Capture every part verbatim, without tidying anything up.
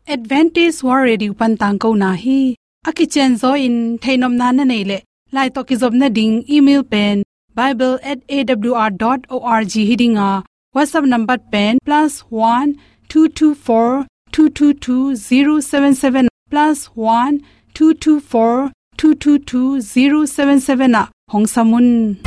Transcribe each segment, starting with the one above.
Adventist World Radio pan tangkona hi. A kicianzaw in theihnopna na neih leh, lai tawh kizopna ding email pen bible at A W R dot org hi ding a, WhatsApp number pen plus one two two four two two two zero seven seven, plus one two two four two two two zero seven seven ah hong sam un.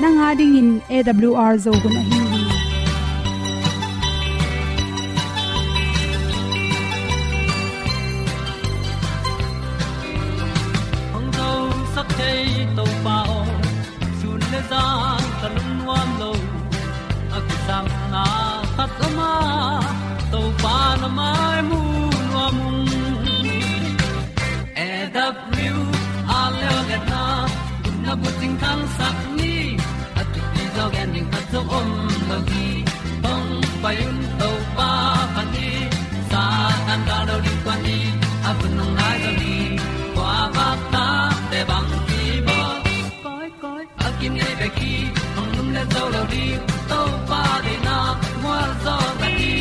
Nang a dingin A W R Zo hun ahi hi. Hong zosak thei Topa aw, sun le zan ka lungnuam lo. A kisapna khat om a, Topa na mai mu nuam ung. A W R leo liatna, gupna bucing thangsak ni. A thupi zaw gen ding khat zong om lo hi. Hong pai un Topa phat ni. Satan gal lo ding kuan ni. A hun hong nai zaw ni. Kua bak ta te bang ki bawl. Koi, koi, a kinei bek hi, hong lum le zo lo ding, Topa deihna, mual zaw na hi,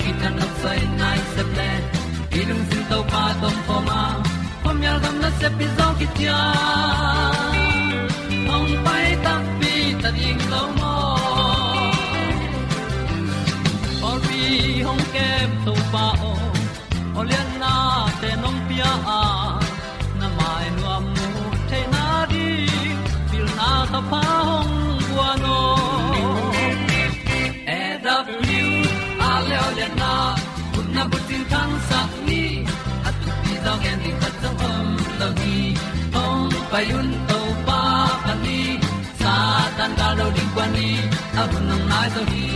kitang nok soi nai sep le, i lungsim Topa tawh om khawm a, khuamial gam nasep i zaw kician, hong pai takpi ta ding lo maw. Pawlpi hong kem Topa aw, aw lianna te nong pia a, na mai nuam mu theihna ding, pilna ka pha hong guan aw. A W R leo lianna, gupna bucing thangsak ni, a thupi zaw gen ding khat zong om lo hi. Hong pai un Topa phat ni, Satan gal lo ding kuan ni, a hun hong nai zaw hi.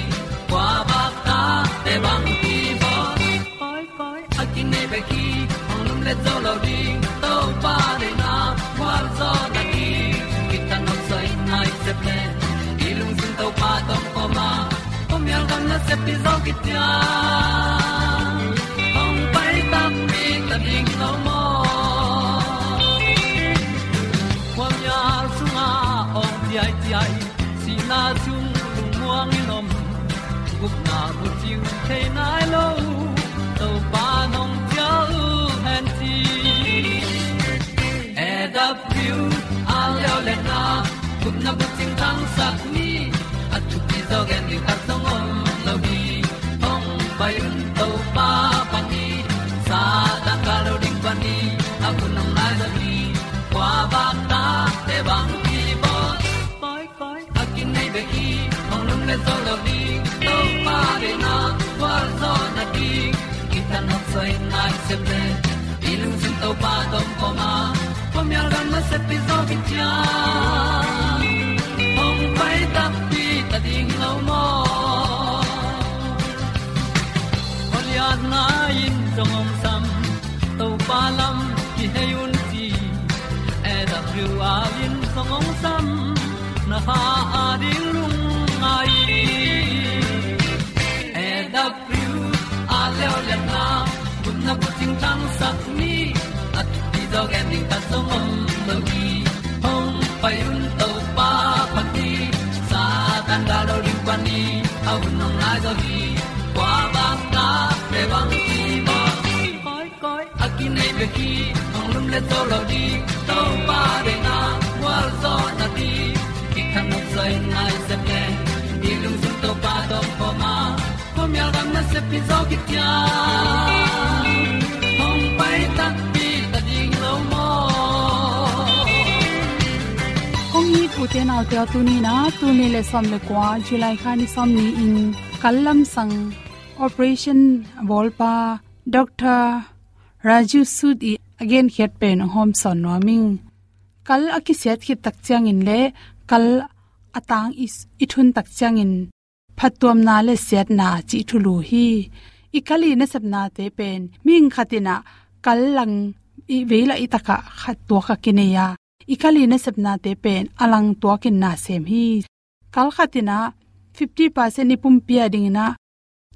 Kua bak ta te bang ki bawl. Koi, koi, a kinei bek hi, hong lum le zo lo ding, Topa deihna, mual zaw na hi, kitang nok soi nai sep le, i lungsim Topa tawh om khawm a, khuamial gam nasep i zaw kician, hong pai takpi ta ding lo maw. Khuamial sungah awng ciaiciai, sihna sung lungmuang in om, gupna bucing thei nai lo, Topa nong cial hen ci. A W R leo lianna, gupna bucing thangsak ni, a thupi zaw gen ding khat zong om lo hi. Hong pai un Topa phat ni, Satan gal lo ding kuan ni, a hun hong nai zaw hi. Kua bak ta te bang ki bawl. Koi, koi, a kinei bek hi, hong lum le zo lo ding, Topa deihna, mual zaw na hi, kitang nok soi nai sep le, i lungsim Topa tawh om khawm a, khuamial gam nasep i zaw kician, hong pai takpi ta ding lo maw. Aw lianna in zong hong sam, Topa lam kihei un ci, A W R in zong hong sam, na kha a ding lungngai. A W R leo lianna, gupna bucing thangsak ni, a thupi zaw gen ding khat zong om lo hi. Hong pai un Topa phat ni, Satan gal lo ding kuan ni, a hun hong nai zaw hi. Kua bak ta te bang ki bawl. Koi, koi, a kinei bek hi, hong lum le zo lo ding, Topa deihna, mual zaw na hi, kitang nok soi nai sep le, i lungsim Topa tawh om khawm a, khuamial gam nasep i zaw kician, hong pai takpi ta ding lo maw. Kong it u te nau te aw, tuni in ah, tul nih le sawm le kua, July kha ni sawm ni-in, kal lamsang operation a bawlpa Doctor Raju Sood i a genkhiat pen hong hawmsawn nuam ing. Kal a kisiat khit tak ciangin le kal a tang i, i thun tak ciangin phattuamna le siatna cih thulu hi. I kal i nasepnate pen mihing khat in ah kal lang i vei lah i tak ah khat tuak a kinei a, i kal i nasepnate pen a lang tuakin na sem hi. Kal khat in ah fifty percent i pumpi a dingin ah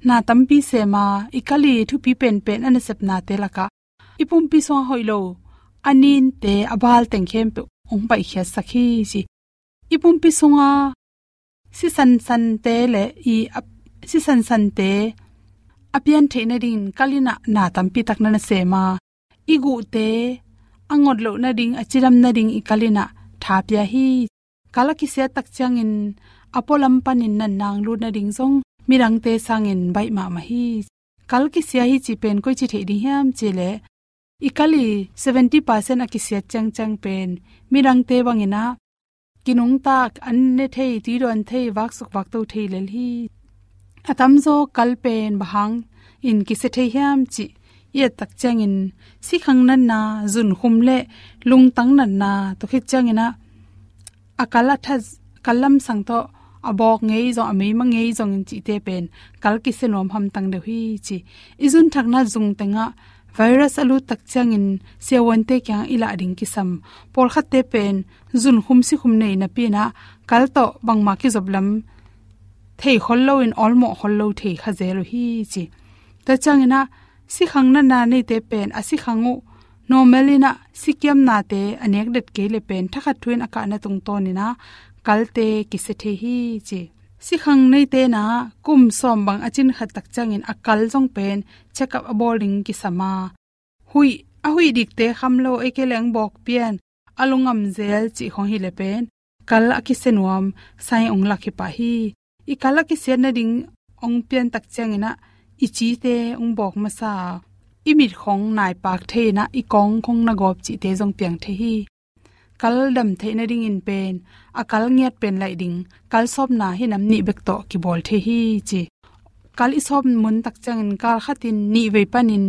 na tampi sem a, i kal i thupi penpen a nasepnate lak ah i pumpi sungah hoih lo a ninte, a bal teng khempeuh hong paikhiatsak hi, ci. I pumpi sunga sisansante le i a, sisansante a pian theih nadingin kal in ah na tampi tak na na sem a, i guhte a ngot loh nading, a cidam nading i kal in ah tha pia hi. Kal a kisiat tak ciangin a pualam panin natna hong lut nading zong midangte sangin baih mahmah hi. Kal kisia hi cih pen koici theih ding hiam cih leh, i kal i seventy percent a kisiat ciangciang pen midangte bangin ah kinungtak, an ne thei, tuidawn thei, vaksuk vakto thei lel hi. A tamzaw kal pen bang hangin kisia thei hiam cih i et tak ciangin sikhang natna, zunkhum le lungtang natna, tua khit ciangin ah a kal a that, kal lamsang tawh a bawk ngei zong, a meima ngei zongin cihte pen kal kisia nuam hamtang deuh hi, ci. I zunthakna zung tengah virus a lut tak ciangin siavuante kiangah i lah ding kisam. Pawlkhatte pen zunkhum sikhum nei napi in ah kal tawh bangmah kizop lam thei khol loin awlmawh khol lo thei kha zel uh hi, ci. Tua ciangin ah sikhang natna neite pen a sikhang uh normal in ah sikiamnate a nek det kei le pen thakhat thu in a kahna tungtawnin ah kalte kisia thei hi, ci. Sikhang neite in ah kum sawm bang a cin khat tak ciangin a kal zong pen check up a bawl ding kisam a, huih, a huih dikte kham lo, ei kei leng bawk pian, a lungam zel cih khong hi le pen kal a kisia nuam sign hong lak hi pah hi. I kal a kisiat nading hong pian tak ciangin ah i cite hong bawk masa a, i mit khong naipak thei in ah i kawng khong na gawp cihte zong piang thei hi. Kal dam theih nadingin pen a kal ngiat pen laih ding kal sawpna hi nam nih bek tawh kibawl thei hi, ci. Kal i sawp mun tak ciangin kal khatin nih vei panin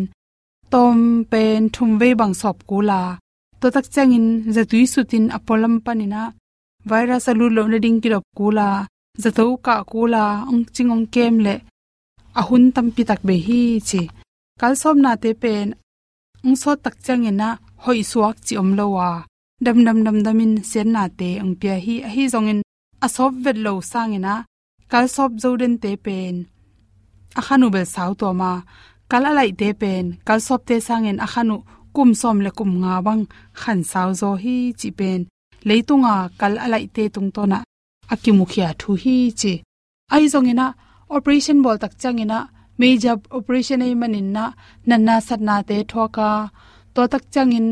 tawm pen thum vei bang sawp kul a, tua tak ciangin zatui sutin a pualam panin ah virus a lut loh nading kidop kul a, zato kah kul a, hong cing hong kem le a hun tampi tak bei hi, ci. Kal sawpnate pen hong sawt tak ciangin ah hoih suak cih om lo a, damdam damdamin siatnate hong pia hi. Ahi zongin a sawp vet lo sangin ah kal sawp zo dente pen a khan uh bel sau tuam a, kal a laihte pen kal sawpte sangin a khan uh kum sawm le kum nga bang khan sau zaw hi, cih pen leitunga kal a laihte tungtawnah a kimukhia thu hi, ci. Ahi zongin ah operation bawl tak ciangin ah major operation ahih manin ah natna satnate thuak a, tua tak ciangin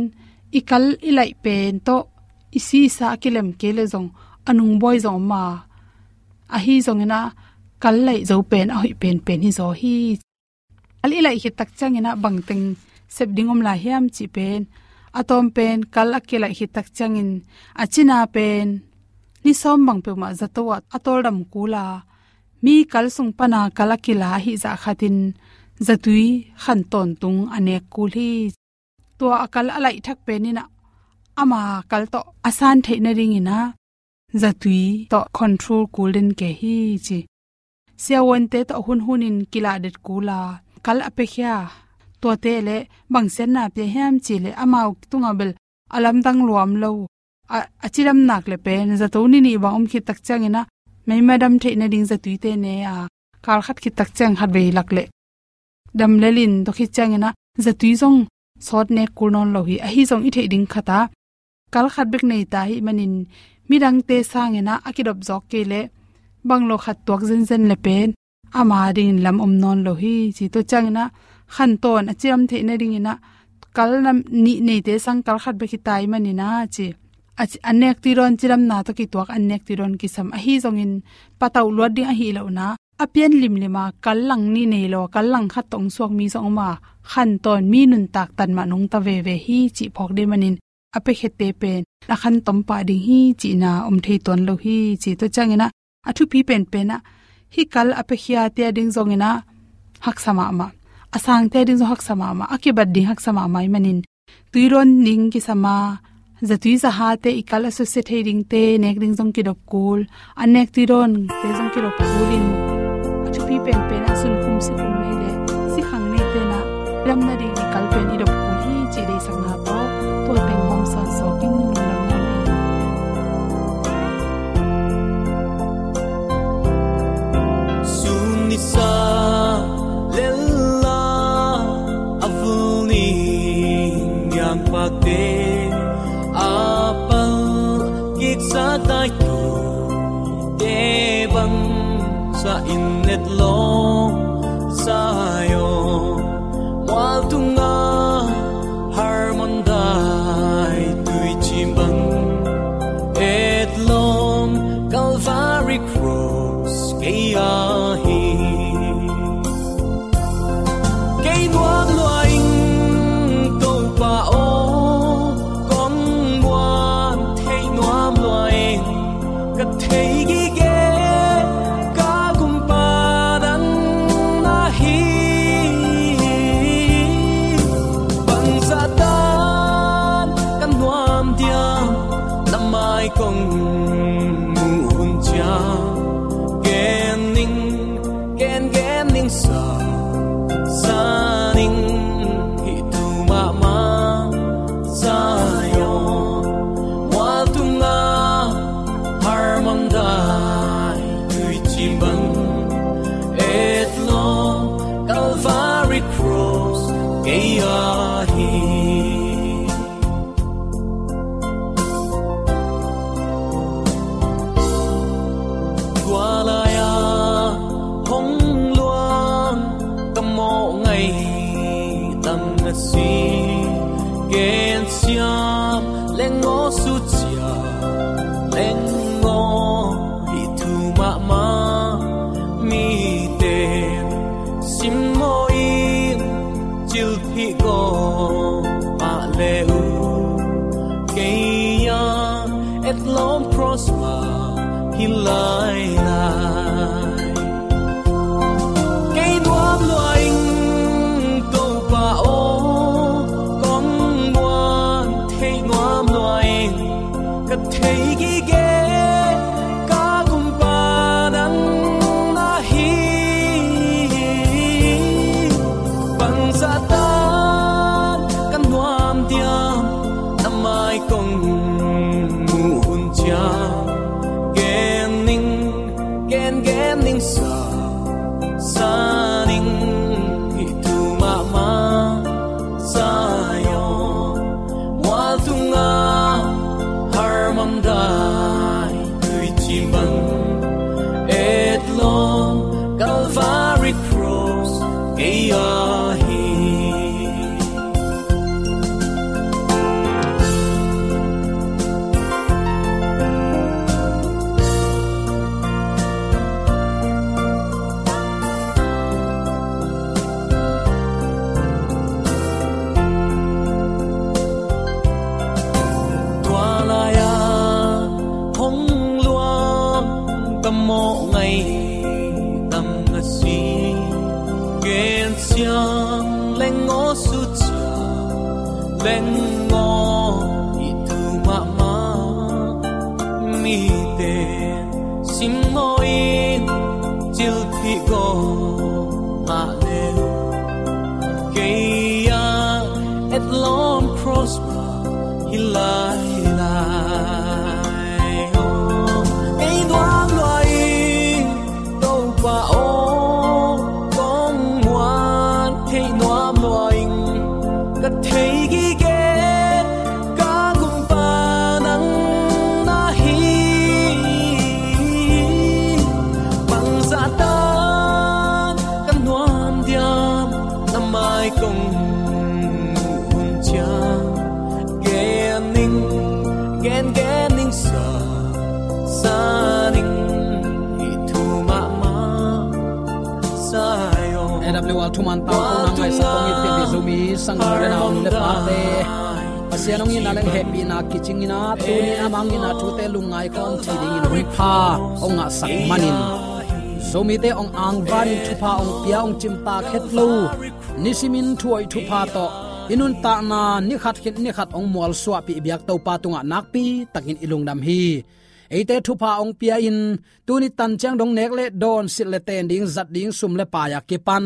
i kal i laih pen tawh i si i sa a kilem kei le zong a nungbawi zong om a, ahi zongin ah kal laih zo pen a hoih penpen hi zaw hi. Kal i laih khit tak ciangin ah bangteng sep ding om lai hiam cih pen, a tawm pen kal a kilaih khit tak ciangin a cina pen ni sawm bang peuhmah zato ah a tawldam kul a, mi kal sung pana kal a kila ahih zah khatin zatui khan tawntung a nek kul hi. Tua a kal a laih thak pen in ah ama kal tawh a san theih nadingin ah zatui tawh control kul den kei hi, ci. Siavuante tawh hunhunin kilah det kul a, kal a piakhia tuate le bang siatna pia hiam cih leh amau tungah bel a lamdang lua om lo, a, a cidam nak le pen zato ni nih bang om khit tak ciangin ah meima dam theih nading zatuite ne a, kal khat khit tak ciang khat vei lak le dam lel in tua khit ciangin ah zatui zong sawt nek kul nawn lo hi. Ahi zong i theih ding khat ah kal khat bek nei ta ahih manin midangte sangin ah a kidop zawk kei leh bang lo khat tuak zenzen le pen ama dingin lam om nawn lo hi, ci. Tua ciangin ah khan tawn a cidam theih nadingin ah kal nih neite sang kal khat bek hi ta ahih manin ah, ci. A ci-, an nek tuidawn cidamna tawh kituak an nek tuidawn kisam. Ahi zongin patauh luat ding ahi lohna a pian limlim a kal lang nih nei lo, kal lang khat tawh hong suak mi zong om a, khan tawn mi nuntak tan mah nungta veve hi, cih phawk ding manin a piakhiate pen a khan tom pah ding hi cihna om thei tuan lo hi, ci. Tua ciangin ah a thupi penpen ah hih kal a piakhiate a ding zongin ah haksa mahmah, a sangte a ding zong haksa mahmah, a kibat ding haksa mahmah ahih manin tuidawn ding kisam a, zatui zahate, i kal a susia thei dingte nek ding zong kidop kul, an nek tuidawnte zong kidop kul in Hih penpen ah sunkhum sikhum nei le sikhang nei tenah damna ding i kal pen i dop kul hi cih deihsakna tawh tua teng hong sawn sawk in lungdam hang ei. Sun nisa lella a vul ni niang pakte a pal kiksa taitu te bang sa in netlawm Zion mual tunga Hermon dai tuicim bang etlawm Calvary Cross kei ahi. Kei nuam lua ing Topa aw, kong muan thei nuam lua ing. Ka thei gige ka gumpa nang na hi. Bangzah tan ka nuam diam, na mai kong muh hun ciang. Gen ning, gen gen ning sa, sa ning hih thu mahmah. Zion mual tunga Hermon dai tuicim bang etlawm Calvary Cross kei ahi. Tua lai-a hong luang ka mawh ngaih tam na si. Gensiam leng aw, sucia leng aw, hih thu mahmah mite simmaw in, cilphih gawp mah le uh. Kei a etlawm cross mah hi lailai. Kei nuam lua ing Topa aw, kong muan thei nuam lua ing. Ka thei gige ka gumpa nang na hi. Bangzah tan ka nuam diam, na mai kong muh hun ciang. Gen ning, gen gen ning sa, sa ning hih thu mahmah. Zion mual tunga Hermon dai tuicim bang etlawm Calvary Cross kei ahi. Tua lai-a hong luang ka mawh ngaih tam na si. Gensiam leng aw, sucia leng aw, hih thu mahmah mite simmaw in, cilphih gawp mah le uh. Kei a etlawm cross mah hi lailai. Kei nuam lua ing Topa aw, kong muan thei nuam lua ing. Ka thei gige ka gumpa nang na hi. Bangzah tan ka nuam diam, na mai kong muh hun ciang. Gen ning, gen gen ning sa, sa ning hih thu mahmah. Zion. A W R thuman tangkona ngaihsak kong it pianpih Zomi sangin le na om le pate, Pasian hong itna leng hehpihna kicingin a, tuni a mangin a thute lungngai khawm thei dingin hun pha hong ngahsak manin, Zomite hong angvanin thupha hong pia, hong cimtak het lo, nisimin thuhoih thupha tawh i nuntakna ni khat khit ni khat hong mualsuahpih biak Topa tungah nakpi takin i lungdam hi. Eite thupha hong pia in, tuni tan ciang dong nek le dawn, silh le ten ding, zat ding sum le pai a kipan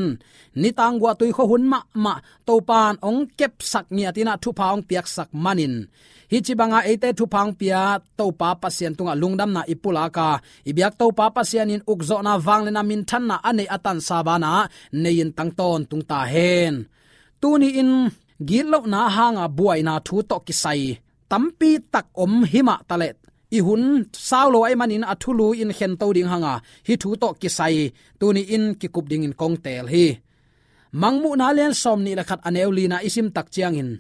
nitang guahtui khua hun mahmah Topan hong kepsak ngiat in ah thupha hong piaksak manin, hih ci banga eite thupha hong pia Topa Pasian tungah lungdamna i pulak a, i biak Topa Pasian in ukzawhna, vangliatna, minthanna a neih a tansa banah nei in tang tawntung ta hen. Tuni in gitlohna hanga buaina thu tawh kisai tampi tak om himah taleh, i hun sau lo ahih manin a thulu in khento ding hanga hih thu tawh kisai tuni in kikup dingin kong teel hi. Mangmuhna lian sawm nih le khat a neu lina i sim tak ciangin,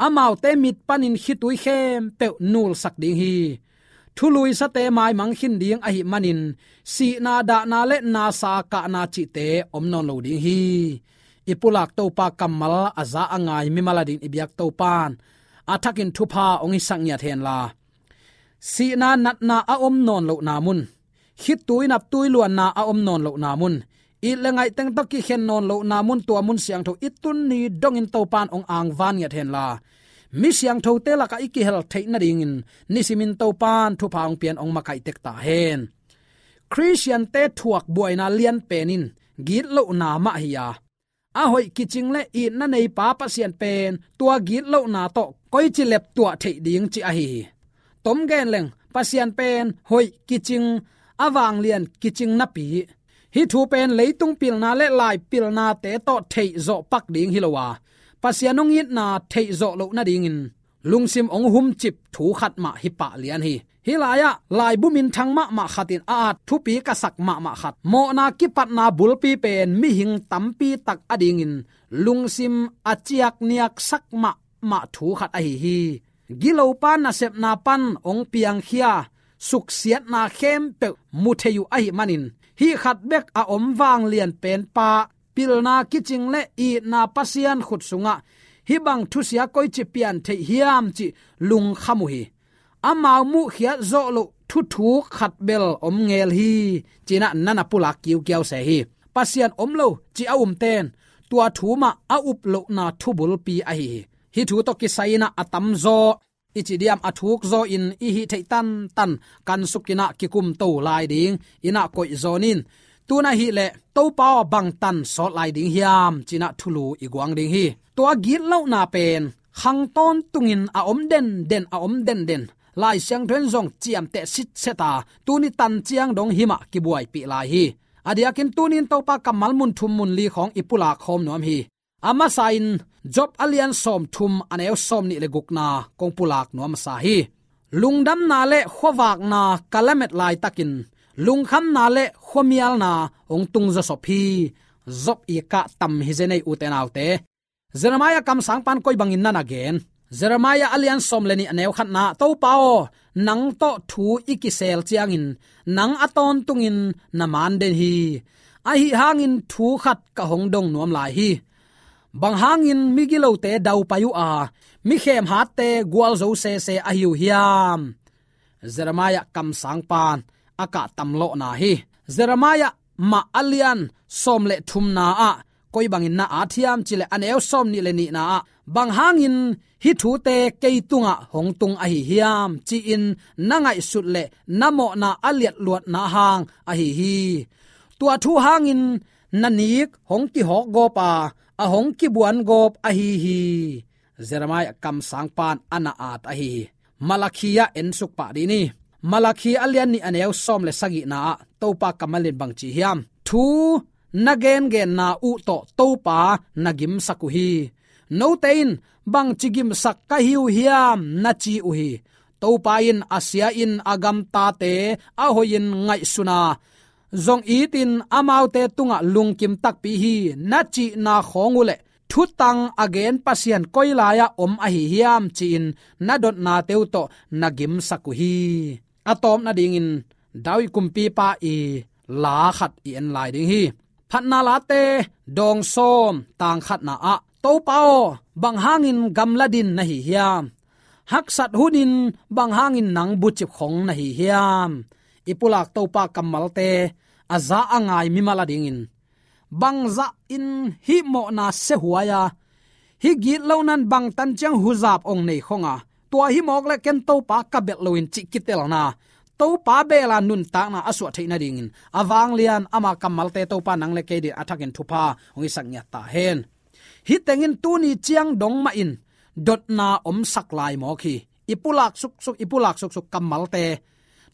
amaute mit panin khitui khempeuh nulsak ding hi. Thuluisate maimang khin ding ahih manin, sihna, dahna le nasa, kahna cihte om nawn lo ding hi. I pulak Topa kammal a za a ngai mimal adingin i biak Topan a thakin thupha hong hisak ngiat henla, sihna natna a om nawn lohna mun, khitui naptui luanna a om nawn lohna mun, it le ngaih teng tawh kikhen nawn lohna mun, tua mun siangtho i tun ni dongin Topan hong angvan ngiat henla, mi siangthote lakah i kihel theih nadingin nisimin Topan thupha hong pian hong makaih tek ta hen. Khristiante thuak buaina lian pen in gitlohna mah hi a, a hoih kicing le itna neipa Pasian pen tua gitlohna tawh koici leptuah theih ding cih ahi hi. Tom gen leng, Pasian pen hoih kicing, a vanglian kicing napi, hih thu pen leitung pilna le lai pilnate tawh theihzawh pak ding hi lo a, Pasian hong itna theihzawh loh nadingin lungsim hong humcip thu khat mah hi pah lian hi. Hih lai-ah laibu minthang mahmah khat in a at thupi ka sak mahmah khat, mawhna kipatna bulpi pen mihing tampi tak adingin lungsim a ciakniaksak mahmah thu khat ahi hi. Gilopa nasepna pan hong piangkhia, suksiatna khempeuh mu thei uh ahih manin, hih khat bek a om vanglian penpa, pilna kicing le itna Pasian khut sungah hih bang thusia koici pian theih hiam cih lungkham uh hi. Amau muhkhiat zawh loh thuthuk khat bel om ngel hi, ci-in ah na na pulak kiukiau se hi. Pasian om lo ci a umten tua thu mah a up lohna thubulpi ahi hi. Hih thu tawh kisai-in ah a tamzaw i ci diam, a thukzaw in i hih theih tantan kansukin ah kikumto lai dingin ah koihzaw ni. Tun ahih leh Topa aw, bangtan sawt lai ding hiam, ci-in ah thulu i guang ding hi. Tua gitlohna pen khang tawntungin a om denden, a om denden, Lai Siangtho in zong ciamteh sitset a, tuni tan ciang dong himah kibuaipih lai hi. A diakin tuni in Topa kammal mun thum mun li khawng i pulak khawm nuam hi. A masa-in Job a lian sawmthum a neu sawmnih le gukna kong pulak nuam masa hi. Lungdamna le khuavakna ka lamet laitakin lungkhamna le khuamialna hong tung zawsop hi. Job i kah tam hi zen ei, ute naute. Jeremiah kamsangpa'n koi bangin na na gen? Jeremiah a lian sawm le nih a neu khatna, Topa aw, nang tawh thu i kisel ciangin nang a tawntungin na man den hi. Ahi hangin thu khat ka hong dong nuam lai hi. Bang hangin migilote daupai uh a, mi khemhatte gualzo sese ahi uh hiam? Jeremiah kamsangpa'n a kah tamlawhna hi. Jeremiah mah a lian sawm le thumna ah koi bangin na at hiam cih leh, a neu sawmnih le nihna ah, bang hangin hih thute kei tungah hong tung ahi hiam, ci-in na ngaihsut le na mawhna a liatluatna hang ahi hi. Tua thu hangin na nik hong kihawkgawp a, a hong kibuangawp ahi hi. Jeremiah kamsangpa'n a na at ahi hi. Malakhi ah ensuk pah dih ni. Malakhi a lian nih a neu sawm le sagihna ah Topa kammal in bang ci hiam? Thu na gengenna uh tawh Topa na gimsak uh hi. Note in, bangci gimsak ka hi uh hiam, na ci uh hi. Topa in a sia-in a gamtate a hoihin ngaihsun a, zong itin amaute tungah lungkim takpi hi, na cihna khawng uh le thutang a gen Pasian koi lai-ah om ahi hiam, ci-in na dotnate uh tawh na gimsak uh hi. A tawpna dingin David kumpipa i la khat i en lai ding hi. Phatna Late dawng sawm, tang khatna ah, Topa aw, bang hangin gamla din na hi hiam? Haksat hunin bang hangin nang bucip khong na hi hiam? I pulak Topa kammalte a za a ngai mimal a dingin, bangzah in hih mawhna sehuai a, hih gitlohna in bangtan ciang huzap ong nei khong a, tua hi mawk leh ken Topa ka belh lo in cih kitelna, Topa bela nuntakna a suah theih nadingin a vanglian ama kammalte Topa nang le kei din a thakin thupha hong hisak ngiat ta hen. Hih tengin tuni ciang dong mahin dotna omsak lai mawk hi. I pulak suksuk, i pulak suksuk kammalte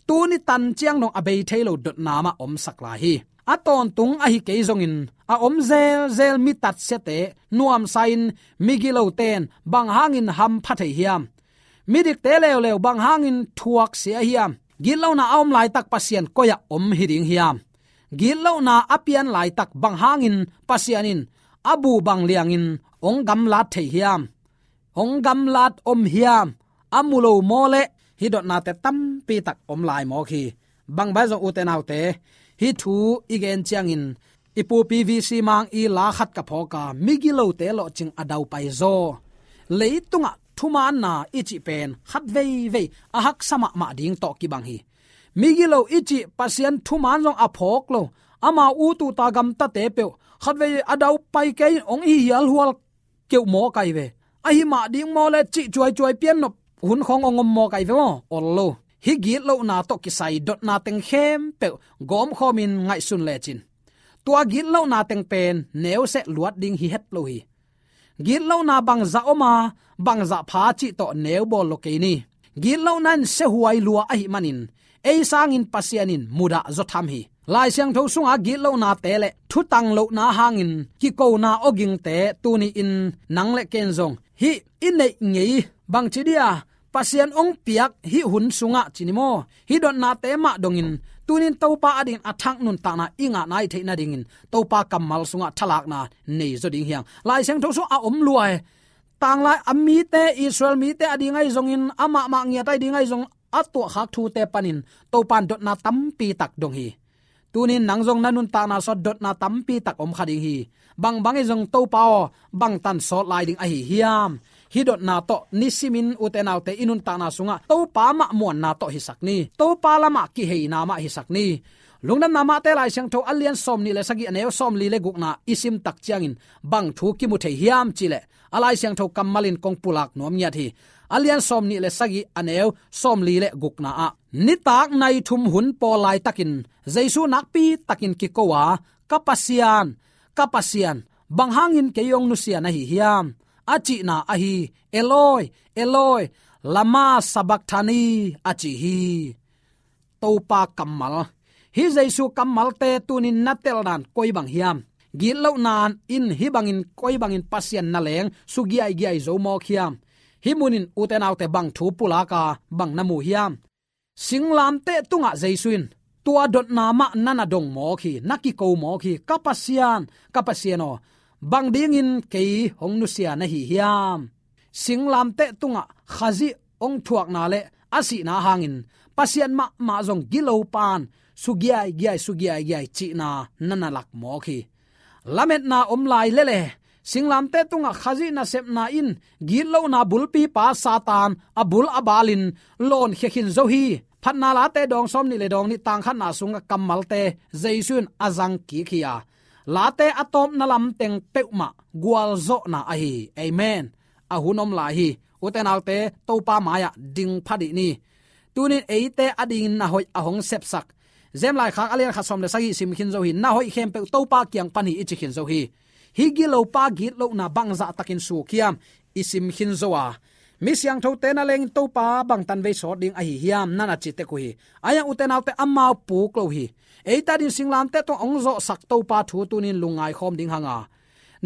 tuni tan ciang dong a bei thei lo dotna mah omsak lai hi. A tawntung ahi kei zongin a om zelzel mi tatsiate nuamsa-in migilote'n bang hangin hampha thei hiam? Midikte leuleu bang hangin thuaksia hiam? Gitlohna a om laitak Pasian koi-ah om hi ding hiam? Gitlohna a pian laitak bang hangin Pasian in a bu bang liangin hong gamlat thei hiam? Hong gamlat om hiam? A mu lo maw leh hih dotnate tampi tak om lai mawk hi. Bang bang zong ute naute, hih thu i gen ciangin i pupi V C Mang i la khat ka phawk a, migilote lawhcing a daupai zaw. Leitungah thumaanna i cih pen khat veivei a haksa mahmah ding tawh kibang hi. Migilo i cih Pasian thumaan zong a phawk lo, amau ut uta gamtate peuh khat veivei a daupai kei in hong hihialhual keuh mawk ahi ve. Ahi mah ding maw leh cih cuaicuai pian nop hun khawng hong om mawk ahi ve maw? Ol lo. Hih gitlohna tawh kisai dotna teng khempeuh gawmkhawmin ngaihsun lecin tua gitlohna teng pen neu seh luat ding hi het lo hi. Gitlohna bangzah om a, bangzah pha cih tawh neu bawl lo kei ni. Gitlohna in siahuai lua ahih manin ei sangin Pasian in mudah zaw tham hi. Lai Siangtho sunga gitlohnate le thutang lohna hangin kikona awgingte tuni-in nang le ken zong hih i neih ngei bangci dia Pasian hong piak hih hun sungah ci ni maw, hih dotnate mah dongin tunin Topa adingin a thak nuntakna i ngah nai theih nadingin Topa kammal sungah thalakna nei zaw ding hi hang. Lai Siangtho sungah a om lua hi. Tanglai a mite, Israel mite ading ahi zongin, amah mah ngiat ahi ding ahi zong, a tuahkhak thute panin Topa in dotna tampi tak dong hi. Tunin nang zong na nuntakna sungah dotna tampi tak om kha ding hi. Bang bang hi zong Topa aw, bang tan sawt lai ding ahi hiam? Hih dotna tawh nisimin ute naute i nuntakna sungah Topa mah muanna tawh hisak ni. Topa lamah kiheina mah hisak ni. Lungdamna Mate Lai Siangtho a lian sawmnih le sagih, a neu sawmli le gukna i sim tak ciangin bang thu kimu thei hiam cih leh, a Lai Siangtho kammalin kong pulak nuam ngiat hi. A lian sawmnih le sagih, a neu sawmli le gukna ah, nitak nai thum hun pawl laitakin Jesu nakpi takin kiko a, "Ka Pasian, ka Pasian, bang hangin kei hong nusia na hi hiam?" a cihna ahi, "Eloi, Eloi, lama sabakthani?" a ci hi. Topa kammal. Hih Jesu kammalte tunin na teldan koi bang hiam? Gitlohna in hih bangin koi bangin Pasian na leng sugiaigiai zo mawk hiam? Hih munin ute naute bang thu pulak a, bang na mu hiam? Singlamteh tungah Jesu in tua dotna mah na na dong mawk hi, na kiko mawk hi. "Ka Pasian, ka Pasian aw, bang dingin kei hong nusia na hi hiam?" Singlamteh tungah Khazih hong thuakna le a sihna hangin Pasian mahmah zong gilo pan sugiaigiai, sugiaigiai cihna na na lak mawk hi. Lametna om lai lele, singlamteh tungah Khazih nasepna in gitlohna bulpipa Satan a bul a balin lawnkhia khin zo hi. Phatna Late dawng sawmnih le dawng nih, tang khatna sungah kammalte Jesu in a zang kik hi a, Late a tawpna lam teng peuhmah gualzawhna ahi hi. Amen. A hun om lai hi. Ute naute, Topa mai-ah ding pha dih ni. Tunin eite adingin na hoih a hong sepsak Jem Laikhak a lian khat sawm le sagih sim khin zo hi. Na hoih khempeuh Topa kiang pan hi i ci khin zo hi. Hih gilopa gitlohna bangzah takin suk hiam i sim khin zo a, mi siangthote na lengin Topa bangtan vei sawt ding ahi hiam na na ci tek uh hi. Ahi hang ute naute, amau puk lo hi. Eite adingin singlamteh tungah hong zawhsak Topa thu tunin lungngai khawm ding hang a,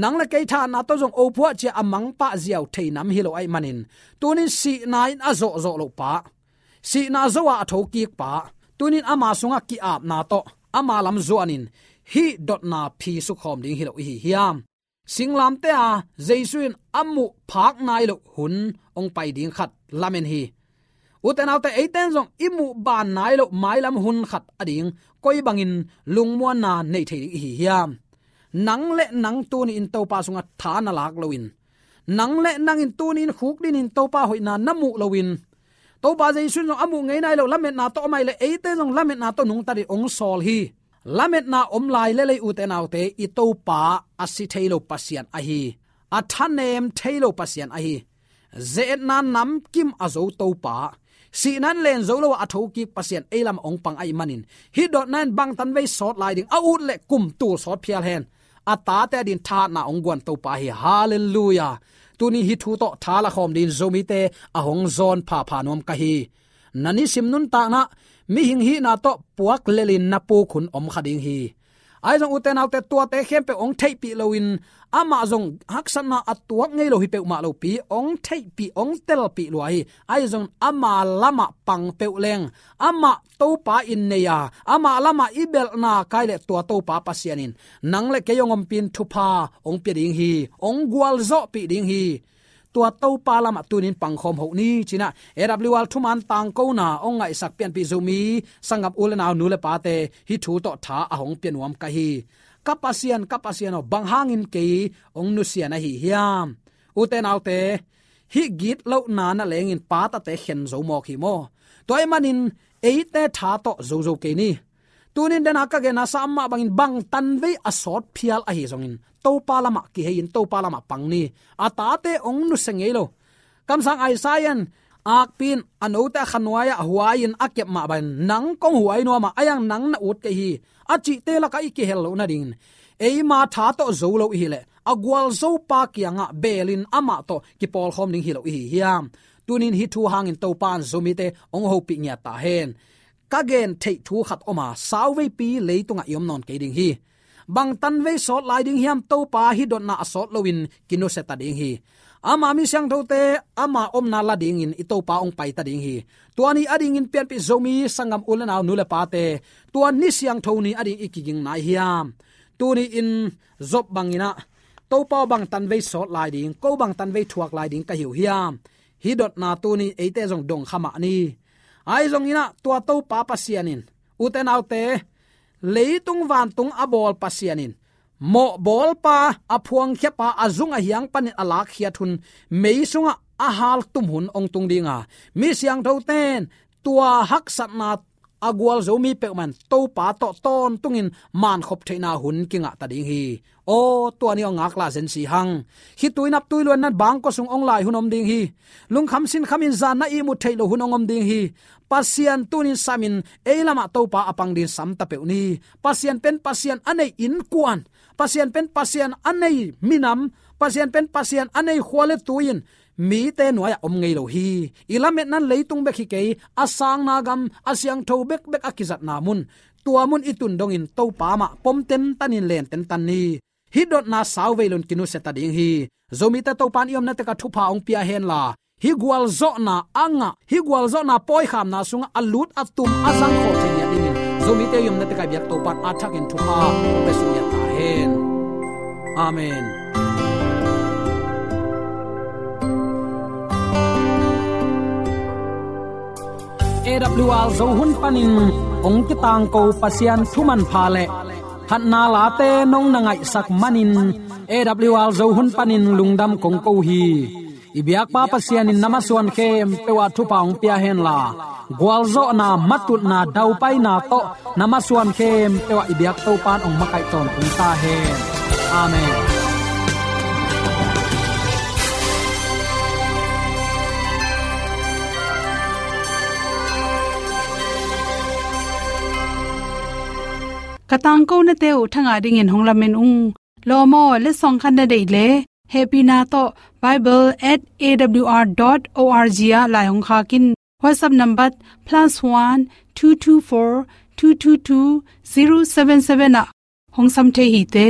nang le kei thahatna tawh zong ophuah cia a mangpah ziau thei nam hi lo ahih manin, tunin sihna in a zawhzawh loh pa, sihna zo-a a thokik pa, tunin ama sungah ki-apna tawh ama lam zuanin hih dotna phi sukkhawm ding hi lo i hi hiam? Singlamteh-a Jesu in a muh phak nai loh hun hong pai ding khat lamen hi. Ute naute, eite in zong i muh baan nai loh mailam hun khat ading koi bangin lungmuanna nei thei ding i hi hiam? Nang le nang tuni-in Topa sungah tha na lak loin, nang le nangin tuni-in khukdinin Topa hoihna na muh loin, Topa Jesu in zong a muh ngei nai loh lametna tawh om ahih leh eite zong lametna tawh nungta dingin hong sawl hi. Lametna om lai lel ei ute naute, i Topa a si thei lo Pasian ahi, a thanem thei lo Pasian ahi, ze-etna namkim a zo Topa, Sihna in len zo lo a, a thokik Pasian ei lamah hong pang ahih manin, hih dotna in bangtan vei sawt lai ding, a ut le kum tul sawt phial hen. A tate adingin thahatna hong guan Topa hi. Halleluiah. Tuni hih thu tawh tha la khawm dingin Zomite a hong zawn phapha nuam ka hi. Na nisim nuntakna, mihing hihna tawh puak lelin na puk hun om kha ding hi. Ahi zong ute naute, tuate khempeuh hong theihpih loin, amah zong haksatna a tuak ngei lo hi peuhmah lopi, hong theihpih, hong telpih lua hi. Ahi zong ama lamah pang peuh leng, amah Topa in nei a, amah lamah i belhna kai le tua Topa Pasian in nang le kei hong ompih in thupha hong pia ding hi, hong gualzawhpih ding hi. Tua Topa lamah tunin pangkhawm hoh ni, ci-in ah A W R thuman tangkona hong ngaihsak pianpih Zomi sanggam u le nau, nu le pate, hih thu tawh tha a hong pia nuam ka hi. Ka Pasian, ka Pasian aw, bang hangin kei hong nusia na hi hiam? Ute naute, hih gitlohna nalengin pa tate khen zo mawk hi maw? Tua ahih manin eite tha tawh zozo kei ni. Tunin dena ka genna sa mah bangin bangtan vei a sawt phial ahi zongin, Topa lamah kihei in, Topa lamah pang ni. A tate hong nusia ngei lo. Kamsang Isaiah in, akpi in a note a khanuai-ah huai-in a kep mah bangin, nang kong huai nuam a, ahi zong nang na ut kei hi, a cihte lakah i kihel loh nadingin, eima tha tawh zo lo i hih leh, a gualzopa kiangah belin amah tawh kipawlkhawm ding hi lo i hi hiam? Tunin hih thu hangin Topa in Zomite hong hopih ngiat ta hen. Ka gen theih thu khat om a, sauveipi leitungah i om nawn kei ding hi. Bangtan vei sawt lai ding hiam Topa hih dotna a sawt loin kinusia ta ding hi. Ama mi siangthote ama omna la dingin i Topa hong pai ta ding hi. Tua ni adingin pianpih Zomi sanggam u le nau, nu le pate, tua ni siangtho ni ading i kiging nai hiam? Tuni in Job bangin ah, Topa aw, bangtan vei sawt lai ding, ko bangtan vei thuak lai ding ka hi uh hiam? Hih dotna tuni eite zong dong kha mah ni. Ahi zongin ah tua Topa Pasian in, ute naute, leitung vantung a bawl Pasian in, mawhbawlpa, a phuangkhiapa, a zung a hiang panin a lakkhiat hun, mei sungah a haltum hun hong tung ding a, mi siangthote in tua haksatna a gualzo mi peuhmah in Topa tawh tawntungin mankhop theihna hun kingah ta ding hi. Aw, tua ni aw, ngaklah zen si hang. Khitui naptui luanna bangkua sung hong lai hun om ding hi. Lungkham sinkhamin zan na ihmut theih loh hun hong om ding hi. Pasian tunin samin ei lamah Topa a pang dingin sam ta peuh ni. Pasian pen Pasian a nei innkuan, Pasian pen Pasian a nei minam, Pasian pen Pasian a nei khua le tui in mite nuai-ah om ngei lo hi. I lametna in leitung bek hi kei, a sangna gam, a siangtho bekbek a kizatna mun, tua mun i tun dongin Topa mah pom tentan in len tentan ni. Hih dotna sauvei loin kinusia ta ding hi. Zomite Topa in i omna tekah thupha hong pia hen la, hih gualzawhna a ngah, hih gualzawhna pawikhamna sungah a lut a tum a zang khawh thei ngiat dingin Zomite i omna tekah i biak Topa in a thakin thupha hong pia suk ngiat ta hen. Amen. A W R Zo hun panin hong kitangko Pasian thu manpha le phatna late nong na ngaihsak manin A W R Zo hun panin lungdam kong ko hi. I biakpa Pasian in na masuan khempeuh ah thupha hong pia hen la, gualzawhna, matutna, daupaina tawh na masuan khempeuh ah i biak Topa in hong makaih tawntung ta hen. Amen. Ka tangkonate uh thangah dingin hong lamen ung. Lawm aw, letsong khat na deih leh, hehpihna tawh bible at A W R dot O R G ah lai hong khak in. WhatsApp number plus one two two four two two two zero seven seven ah hong sam thei hi te.